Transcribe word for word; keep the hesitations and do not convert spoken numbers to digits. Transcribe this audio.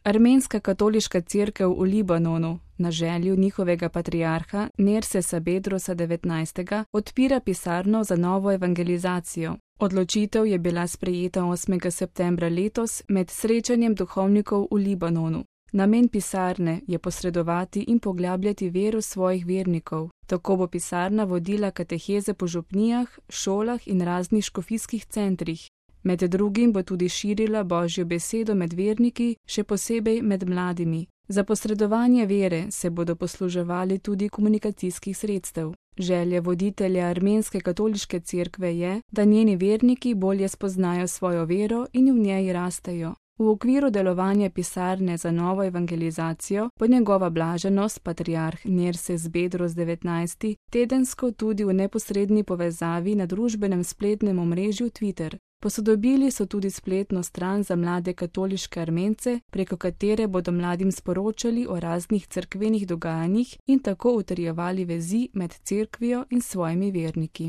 Armenska katoliška cerkev v Libanonu na željo njihovega patriarha Nersesa Bedrosa devetnajstega odpira pisarno za novo evangelizacijo. Odločitev je bila sprejeta osmega septembra letos med srečanjem duhovnikov v Libanonu. Namen pisarne je posredovati in poglabljati vero svojih vernikov. Tako bo pisarna vodila kateheze po župnijah, šolah in raznih škofijskih centrih. Med drugim bo tudi širila Božjo besedo med verniki, še posebej med mladimi. Za posredovanje vere se bodo posluževali tudi komunikacijskih sredstev. Želja voditelja Armenske katoliške cerkve je, da njeni verniki bolje spoznajo svojo vero in v njej rastejo. V okviru delovanja pisarne za novo evangelizacijo bo njegova blaženost patriarh Nerses Bedros devetnajsti tedensko tudi v neposredni povezavi na družbenem spletnem omrežju Twitter. Posodobili so tudi spletno stran za mlade katoliške Armence, preko katere bodo mladim sporočali o raznih cerkvenih dogajanjih in tako utrjevali vezi med cerkvijo in svojimi verniki.